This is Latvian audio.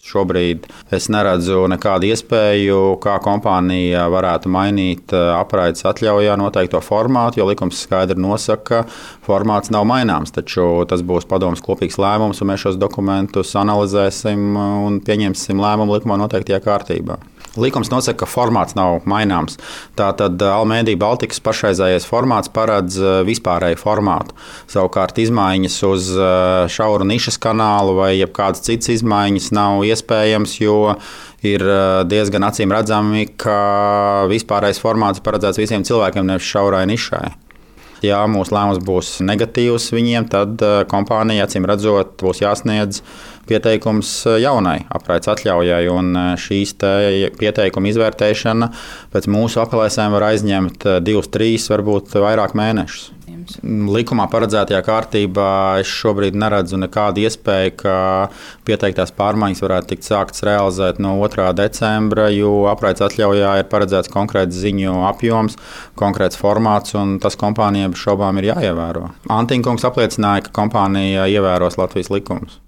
Šobrīd es neredzu nekādu iespēju, kā kompānija varētu mainīt apraides atļaujā noteikto formātu, jo likums skaidri nosaka, ka formāts nav maināms. Taču tas būs padomes kopīgs lēmums, un mēs šos dokumentus analizēsim un pieņemsim lēmumu likumā noteiktajā kārtībā. Likums nosaka, ka formāts nav maināms. Tātad Almeida Baltikas pašreizējais formāts paredz vispārēju formātu. Savukārt izmaiņas uz šauru nišas kanālu vai kādas citas izmaiņas nav iespējams, jo ir diezgan acīm redzami, ka vispārējais formāts paredzēts visiem cilvēkiem, nevis šaurai nišai. Ja mūsu lēmums būs negatīvs viņiem, tad kompānija, acīm redzot, būs jāsniedz pieteikums jaunai apraides atļaujai. Un šīs pieteikuma izvērtēšana pēc mūsu aplēsēm var aizņemt 2, 3, varbūt vairāk mēnešus. Likumā paredzētajā kārtībā es šobrīd neredzu nekādu iespēju, ka pieteiktās pārmaiņas varētu tikt sāktas realizēt no 2. decembra, jo apraides atļaujā ir paredzēts konkrēts ziņu apjoms, konkrēts formāts, un tas kompānijai bez šaubām ir jāievēro. Antinkungs apliecināja, ka kompānija ievēros Latvijas likumus.